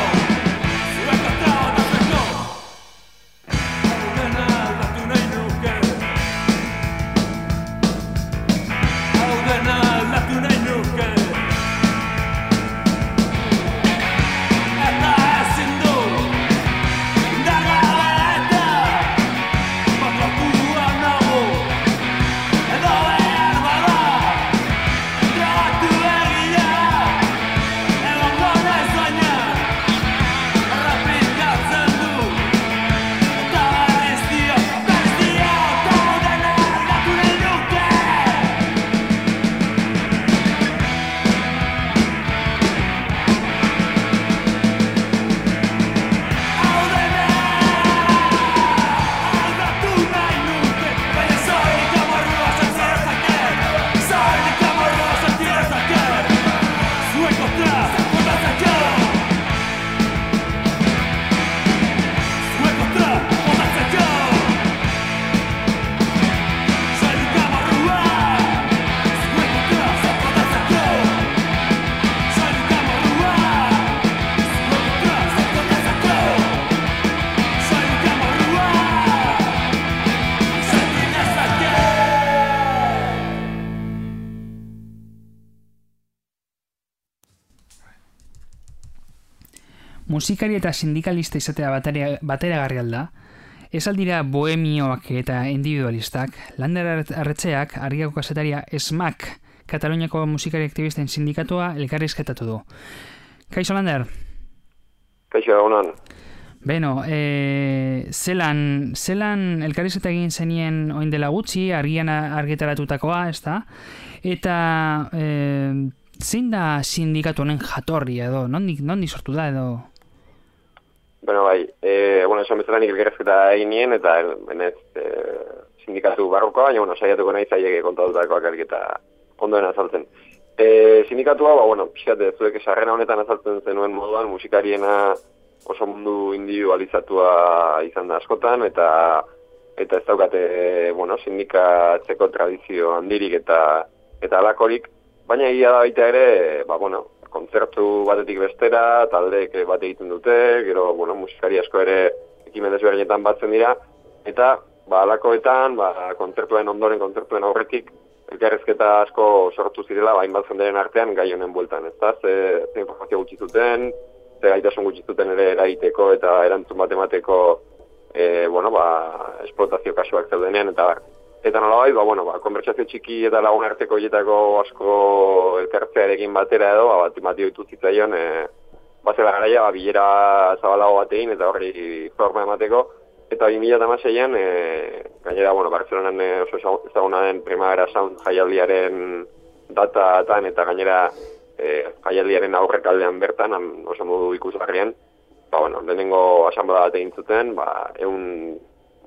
zuen kontra botatzeko hau dena aldatu nahi nuke hau dena aldatu nahi nuke eta ezin du indargabe eta baklatua nago edo behar bada trabatu begia egongo naiz baina errepikatzen du eta berriz dio, berriz dio eta hau dena aldatu nahi nuke hau dena aldatu nahi nuke baina soilik amorrua sentidezake soilik amorrua sentidezake zuen kontra botatzeko zuen kontra botatzeko soilik amorrua zuen kontra botatzeko soilik amorrua zuen kontra botatzeko soilik amorrua sentidezake. Musikari eta sindikalista izatea batera- bateragarri alda, ez aldira bohemioak eta individualistak, Lander Arretxeak, Argiako kazetaria SMAK, Kataluniako musikari aktivisten sindikatua elkarrizketatu du. Kaixo Lander? Kaixo egunon. Beno, e, zelan, zelan elkarrizketa egin zenien oin dela gutxi, argian argitaratutakoa, ez da? Eta e, zein da sindikatu honen jatorria edo, nondik, nondik sortu da edo? Bueno, bai, e, bueno, esan bezala nik elkarrizketa egin nien, eta benez e, sindikatu barrokoa, baina, bueno, saiatuko nahi zaiek kontatutakoak elketa ondoen azaltzen. E, sindikatua, ba, bueno, pixkat zuek esarrena honetan azaltzen zenuen moduan, musikariena oso mundu individualizatua izan da askotan, eta eta ez daukate, bueno, sindikatzeko tradizio handirik eta eta alakorik, baina egia da baita ere, ba, bueno, kontzertu batetik bestera, taldeek bat egiten dute, gero, bueno, musikari asko ere ekimen desberdinetan batzen dira, eta, ba, alakoetan, ba, kontzertuen ondoren, kontzertuen aurretik, elkarrizketa asko sortu zirela, ba, hainbat jenderen artean gai honen bueltan, ezta? Ze, ze informazio gutxi zuten, ze gaitasun gutxi zuten ere eraiteko eta erantzun bat emateko, e, bueno, ba, esplotazio kasuak zeudenean, eta bar. Eta nolabait, ba, bueno, ba, konbertsazio txiki eta lagun arteko hietako asko elkartzearekin batera edo, ba, bat ematio ditu zitzaion, e, bazela garaia, ba, bilera zabalago bat egin eta horri forma emateko, eta bi mila hamaseian, e, gainera, bueno, Bartzelonan e, oso ezaguna den Primavera Sound jaialdiaren datatan eta gainera e, jaialdiaren aurrekaldean bertan, oso modu ikusgarrian, ba, bueno, lehenengo asanblada bat egin zuten, ba, egun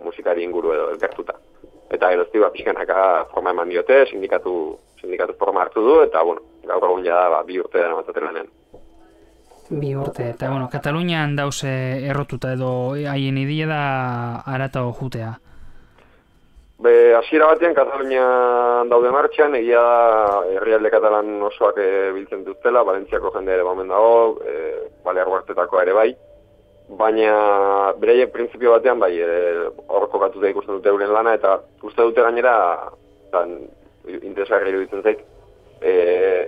musikari inguru edo elkartuta. Eta gerozti, ba, pixkanaka forma eman diote, sindikatu, sindikatu forma hartu du, eta, bueno, gaur egun ja ba, bi urte dara matzaten lanen. Bi urte, eta, bueno, Katalunian dauze errotuta edo haien idea da arata jutea. Be, hasiera batean Katalunian daude martxan, egia da herrialde katalan osoak e, biltzen dutela, Valentziako jende ere bamen dago, e, Balear Huartetako ere bai, baina beraiek printzipio batean bai hor e, kokatuta ikusten dute euren lana, eta uste dute gainera, tan, interesgarri iruditzen zait, e,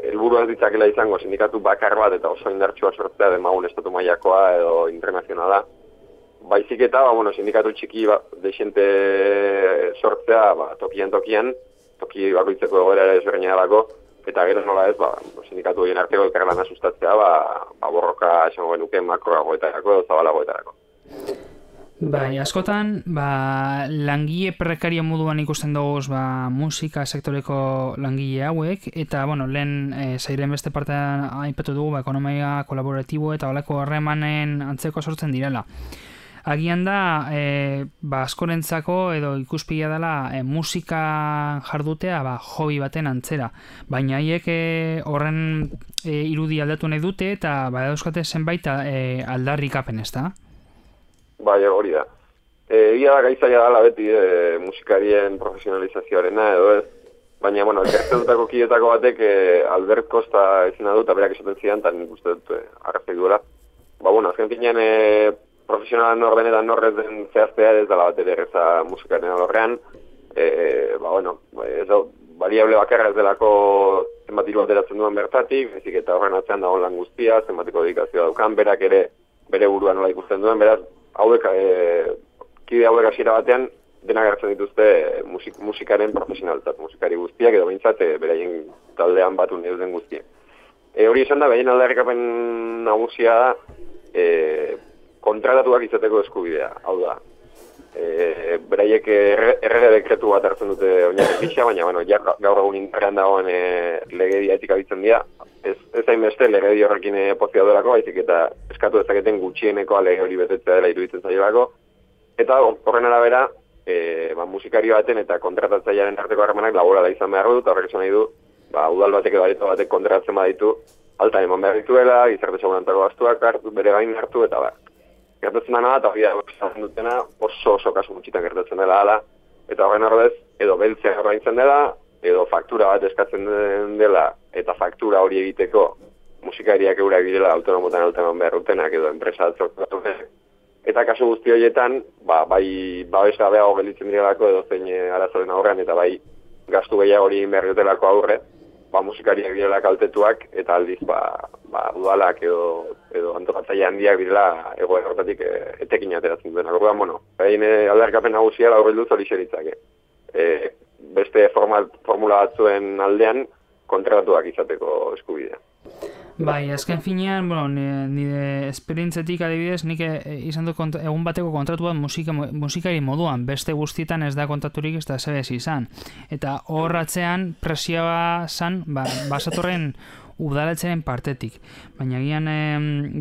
helburua ez ditzakela izango sindikatu bakar bat eta oso indartsua sortzea demagun estatu mailakoa edo internazionala, baizik eta, ba, bueno, sindikatu txiki ba, desente sortzea, ba, tokian tokian, toki bakoitzeko egoera ere ezberdina delako, eta gero nola ez, ba, sindikatu horien arteko elkarlana sustatzea, ba, ba borroka esango genuke makroagoetarako edo zabalagoetarako. Bai, askotan, ba, langile prekario moduan ikusten dugu ba, musika sektoreko langile hauek, eta, bueno, lehen e, zairen beste partean aipatu dugu, ba, ekonomia kolaboratibo eta holako harremanen antzeko sortzen direla. Agian da, e, ba, askorentzako edo ikuspila dela e, musika jardutea ba, hobi baten antzera. Baina haiek e, horren e, irudi aldatu nahi dute eta ba, dauzkate zenbait e, aldarrikapen, ez da? Bai, hori da. Egia da gaizaia dela beti e, musikarien profesionalizazioarena edo ez, baina, bueno, elkartetutako kidetako batek e, Albert Costa ezina dut, eta berak esaten zidan, eta nik uste dut e, arrazek duela. Ba, bueno, azken finean e, profesionalan nor den eta norrez den zehaztea ez dela bat ere erreza musikaren alorrean, e, ba, bueno, ez da, baliable bakarra ez delako zenbat hiru ateratzen duen bertatik, ezik eta horren atzean dagoen lan guztia, zenbatiko dedikazioa daukan, berak ere bere burua nola ikusten duen, beraz, hauek, e, kide hauek hasiera batean, denak hartzen dituzte musik, musikaren profesionaltzat, musikari guztiak, edo behintzat, e, beraien taldean batu nahi duten guztiak. E, hori esan da, behien aldarrikapen nagusia da, e, kontratatuak izateko eskubidea, hau da. E, beraiek errege dekretu bat hartzen dute oinarri gisa, baina bueno, ja, gaur egun indarrean dagoen e, legedia etik abitzen dira, ez, ez hainbeste legedi horrekin e, pozia delako, baizik eta eskatu dezaketen gutxienekoa lege hori betetzea dela iruditzen zailako, eta horren arabera, e, ba, musikari baten eta kontratatzailearen arteko harremanak laborala izan behar dut, horrek esan nahi du, ba, udal batek edo areto batek kontratatzen baditu, alta eman behar dituela, gizarte segurantako gastuak hartu, bere gain hartu, eta ba, gertatzen dena, eta hori da, dutena, oso oso kasu gutxitan gertatzen dela ala, eta horren ordez, edo beltzea ordaintzen dela, edo faktura bat eskatzen dela, eta faktura hori egiteko musikariak eurak direla autonomotan alteman behar dutenak, edo enpresa atzortu. Eta kasu guzti horietan, ba, bai babesa behago gelditzen direlako edo zein arazoren aurrean, eta bai gastu gehiago hori behar dutelako aurre, ba, musikariak direla kaltetuak, eta aldiz, ba, ba, udalak edo, edo antokatzaile handiak direla egoera horretatik e, etekin ateratzen duen. Orduan, bueno, behin e, aldarkapen nagusia laurri duz hori xeritzake. E, beste formal, formula batzuen aldean kontratatuak izateko eskubidea. Bai, azken finean, bueno, nire esperientzetik adibidez, nik izan dut egun bateko kontratu bat musika, musikari moduan, beste guztietan ez da kontaturik ez da zebez izan. Eta horratzean presioa zan, ba, basatorren udalatzaren partetik. Baina gian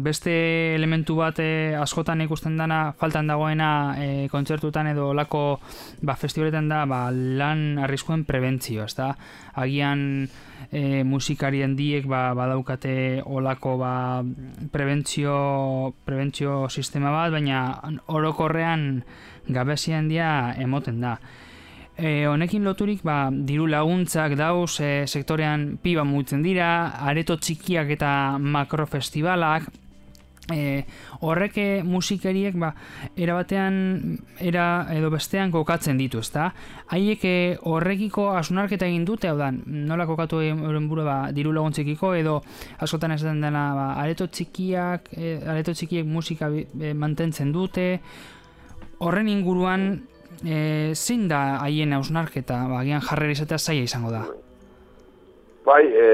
beste elementu bat e, askotan ikusten dana faltan dagoena e, kontzertutan edo olako ba, festivaletan da ba, lan arriskuen prebentzio, ez da? Agian e, musikari handiek ba, badaukate olako ba, prebentzio, prebentzio sistema bat, baina orokorrean gabezia handia emoten da. E, honekin loturik ba, diru laguntzak dauz e, sektorean piba mugitzen dira, areto txikiak eta makrofestibalak, e, horrek musikariek ba, erabatean era edo bestean kokatzen ditu, ezta? Haiek e, horrekiko hausnarketa egin dute, hau da, nola kokatu euren buru ba, diru laguntzekiko edo askotan ez den dena ba, areto txikiak, e, areto txikiek musika e, mantentzen dute, horren inguruan E, zein da haien hausnarketa, ba, agian jarrera izatea zaila izango da? Bai, e,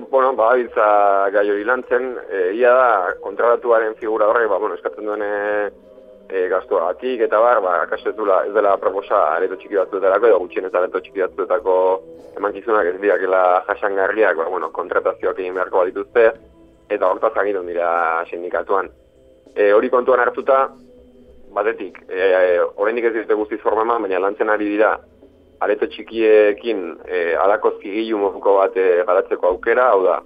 bueno, ba, biltza gai hori lantzen, e, ia da, kontratatuaren figura horrek, ba, bueno, eskatzen duen e, e, gastuagatik eta bar, ba, akaso ez, dula, ez dela proposa areto txiki batzuetarako, edo gutxien ez areto txiki batzuetako emankizunak ez diakela jasangarriak, ba, bueno, kontratazioak egin beharko bat dituzte, eta hortaz agindun dira sindikatuan. E, hori kontuan hartuta, batetik, e, oraindik ez dute guztiz forma eman, baina lantzen ari dira areto txikiekin e, alako zigilu moduko bat e, garatzeko aukera, hau da,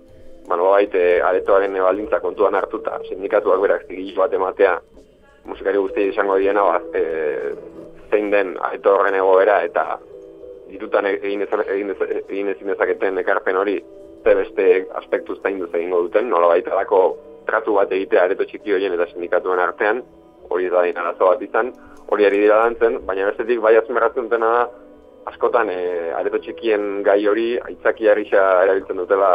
bueno, bait, e, aretoaren baldintza kontuan hartuta, sindikatuak berak zigilu bat ematea, musikari guztiak izango diena, ba, e, zein den areto horren egoera, eta ditutan egin ezin dezaketen ekarpen hori, ze beste aspektu zainduz egingo duten, nola baita alako tratu bat egitea areto txiki horien eta sindikatuen artean, hori da din arazo bat izan, hori ari dira dantzen, baina bestetik bai azmerratzen dutena da, askotan e, areto txikien gai hori aitzakia gisa erabiltzen dutela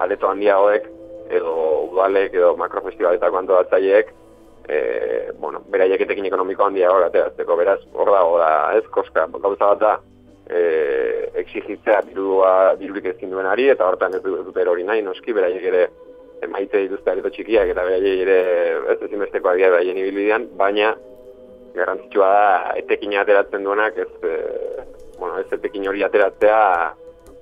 areto handiagoek, edo udalek, edo makrofestibaletako antolatzaileek, e, bueno, beraiek etekin ekonomiko handiagoak ateratzeko, beraz, hor dago da, ez, koska, gauza bat da, e, exigitzea dirua, dirurik ezin duenari, eta hortan ez dute erori nahi, noski, beraiek ere maite dituzte areto txikiak, eta beraiek ere ez ezinbestekoak dira beraien ibilbidean, baina garrantzitsua da etekin ateratzen duenak, ez, e, bueno, ez etekin hori ateratzea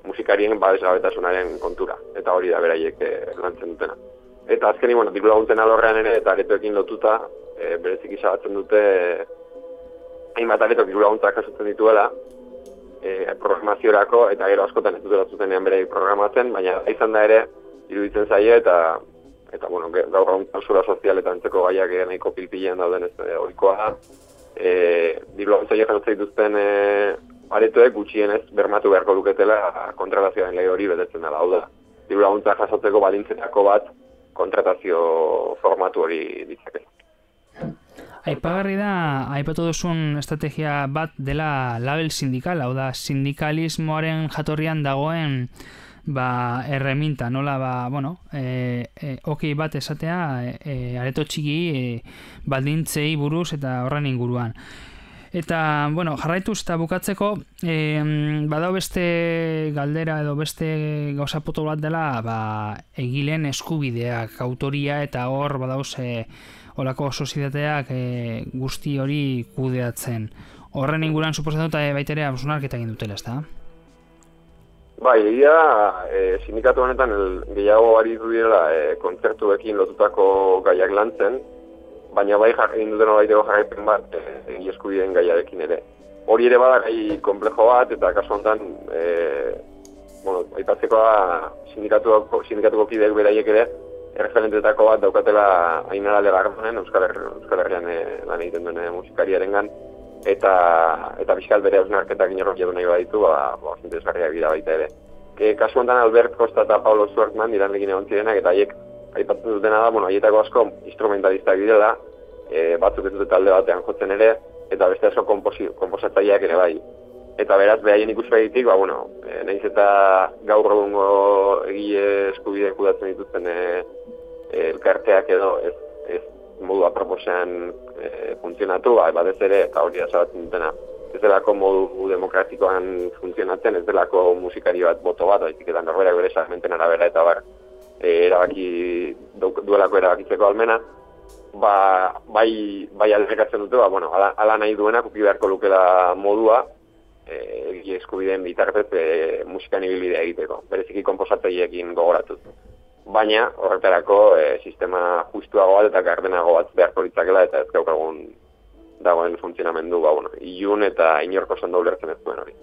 musikarien babesgabetasunaren kontura, eta hori da beraiek e, lantzen dutena. Eta azkeni, bueno, diru laguntzen alorrean ere, eta aretoekin lotuta, e, berezik izabatzen dute, hainbat aretok diru laguntzak jasotzen dituela, e, programaziorako, eta gero askotan ez dutela zuzenean berei programatzen, baina izan da ere, iruditzen zaie, eta, eta bueno, gaur egun klausura sozial eta antzeko gaiak nahiko pilpilean dauden ez e, ohikoa da. E, diru laguntzak jasotzen dituzten e, aretoek gutxienez bermatu beharko luketela kontratazioaren lege hori betetzen dela, hau da. Diru laguntzak jasotzeko balintzetako bat kontratazio formatu hori ditzakela. Aipagarri da, aipatu duzun estrategia bat dela label sindikal, hau da, sindikalismoaren jatorrian dagoen ba, erreminta, nola, ba, bueno, e, e, okei bat esatea, e, areto txiki e, baldintzei buruz eta horren inguruan. Eta, bueno, jarraituz eta bukatzeko, e, badao beste galdera edo beste gauza poto bat dela, ba, egileen eskubideak, autoria eta hor badauz e, olako sozietateak e, guzti hori kudeatzen. Horren inguruan suposatzen dut baitere abuzunarketa egin dutela, ezta? Bai, egia, e, sindikatu honetan el, gehiago aritu direla e, kontzertuekin lotutako gaiak lantzen, baina bai egin duten baiteko jarraipen bat egi eskubideen gaiarekin ere. Hori ere bada gai komplejo bat, eta kasu honetan, e, bueno, aipatzekoa sindikatuko, sindikatuko kideek beraiek ere, erreferentetako bat daukatela Ainara Legardonen, Euskal, Her Euskal Herrian e, lan egiten duen musikariarengan, eta eta bizkal bere hausnarketak inorok jadu nahi baditu, ba, ba, interesgarriak dira baita ere. E, kasu honetan Albert Costa eta Paulo Zuertman iranlekin egon zirenak, eta haiek aipatzen dutena da, bueno, haietako asko instrumentalistak direla, e, batzuk ez dute talde batean jotzen ere, eta beste asko konposatzaileak ere bai. Eta beraz, behaien ikuspegitik, ba, bueno, e, nahiz eta gaur egungo egile eskubide kudatzen dituzten e, e, elkarteak edo ez, ez modu aproposean e, funtzionatu, ba, batez ere, eta hori azabatzen dutena, ez delako modu demokratikoan funtzionatzen, ez delako musikari bat boto bat, baizik eta norberak bere segmenten arabera eta bar, erabaki duelako erabakitzeko almena, ba, bai, bai alderkatzen dute, ba, bueno, ala, ala nahi duenak uki beharko lukela modua, egi e, eskubideen bitartez e, musikan ibilbidea egiteko, bereziki konposatzaileekin gogoratuz. Baina, horretarako, e, sistema justuago bat eta gardenago bat beharko litzakela, eta ez gaukagun dagoen funtzionamendu, ba, bueno, ilun eta inorko zondo ulertzen ez duen hori.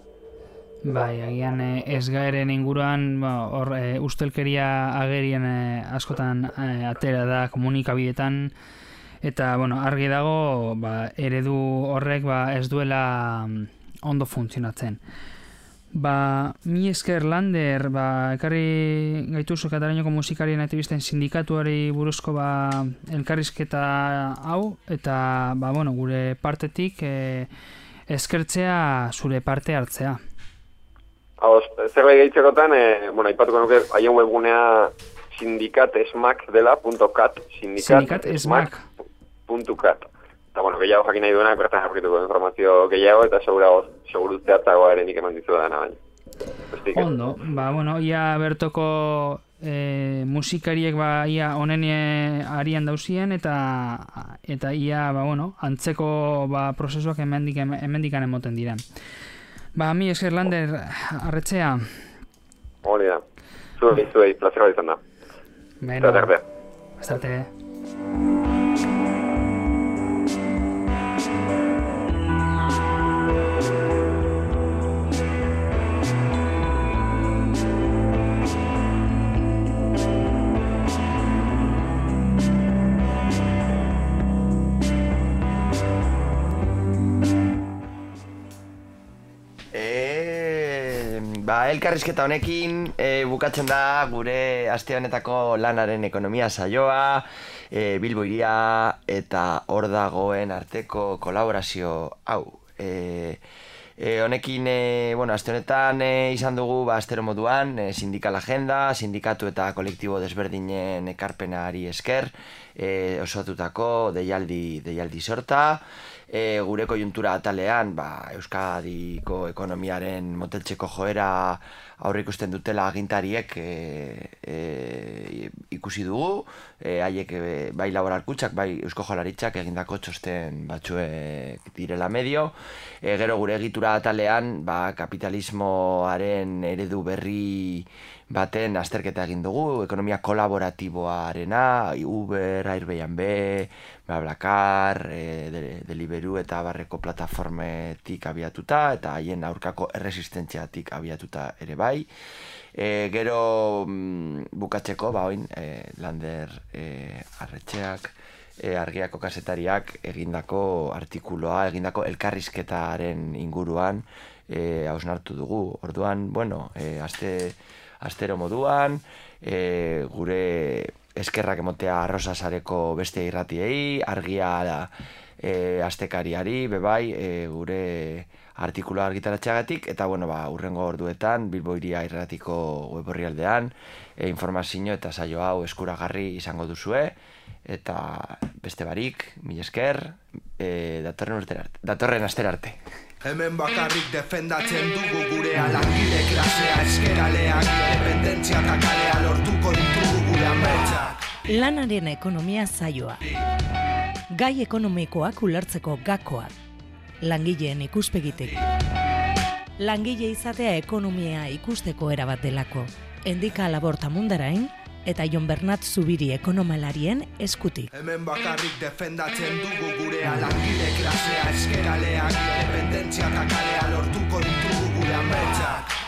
Bai, agian ez gaeren inguruan hor ba, e, ustelkeria agerien e, askotan e, atera da komunikabidetan, eta bueno, argi dago ba, eredu horrek ba, ez duela ondo funtzionatzen. Ba, mi esker Lander, ba, ekarri gaituzu Kataluniako musikarien aktivisten sindikatuari buruzko ba, elkarrizketa hau, eta ba, bueno, gure partetik e, eskertzea zure parte hartzea. Ados, zerbait gehitzekotan, e, bueno, aipatuko nuke, haien webgunea sindikatesmak dela, .cat, sindikatesmak puntu cat. Eta, bueno, gehiago jakin nahi duenak, bertan jarrituko informazio gehiago, eta seguru zehatzagoa ere nik eman dizu da baina. Ondo, ba, bueno, ia bertoko e, musikariek ba, ia honen arian dauzien, eta eta ia, ba, bueno, antzeko ba, prozesuak hemendik hemendikan emoten diren. Ba, mi esker Lander, arretzea. Hori da. Zuei, zuei, plazera bat izan da. Beno, Zerarte. Zerarte. Ba, elkarrizketa honekin e, bukatzen da gure aste honetako lanaren ekonomia saioa, e, Bilbo Hiria eta hor dagoen arteko kolaborazio hau. E, E, honekin, e, bueno, aste honetan e, izan dugu, ba, astero moduan, e, sindikal agenda, sindikatu eta kolektibo desberdinen ekarpenari esker, e, osatutako deialdi, deialdi sorta, e, gure koiuntura atalean, ba, Euskadiko ekonomiaren moteltzeko joera aurre ikusten dutela agintariek e, e, ikusi dugu, e, haiek e, bai laboralkutxak, bai Eusko Jaurlaritzak egindako txosten batzuek direla medio. E, gero gure egitura atalean, ba, kapitalismoaren eredu berri baten azterketa egin dugu, ekonomia kolaboratiboarena, Uber, Airbnb, BlaBlaCar, e, Deliveroo eta barreko plataformetik abiatuta, eta haien aurkako erresistentziatik abiatuta ere bai. E, gero mm, bukatzeko, ba, oin, e, Lander e, Arretxeak, e, Argiako kazetariak egindako artikuloa, egindako elkarrizketaren inguruan e, hausnartu dugu. Orduan, bueno, e, aste, astero moduan, e, gure eskerrak emotea Arrosasareko beste irratiei, Argia e, astekariari, bebai, e, gure artikuloa argitaratxeagatik, eta bueno, ba, urrengo orduetan Bilbo Hiria irratiko web orrialdean e, informazio eta saio hau eskuragarri izango duzue, eta beste barik, mil esker, e, datorren, urtera, datorren astera arte. Hemen bakarrik defendatzen dugu gurea, langile klasea, eskeraleak, independentzia eta kalea lortuko ditugu gure ametsak. Lanaren ekonomia saioa. Gai ekonomikoak ulertzeko gakoak. Langileen ikuspegitik. Langile izatea ekonomia ikusteko erabat delako. Endika Laborta Mundarain eta Jon Bernat Zubiri ekonomalarien eskutik. Hemen bakarrik defendatzen dugu gurea, langile klasea, eskeraleak, independentzia eta kalea lortuko ditugu gure ametsak.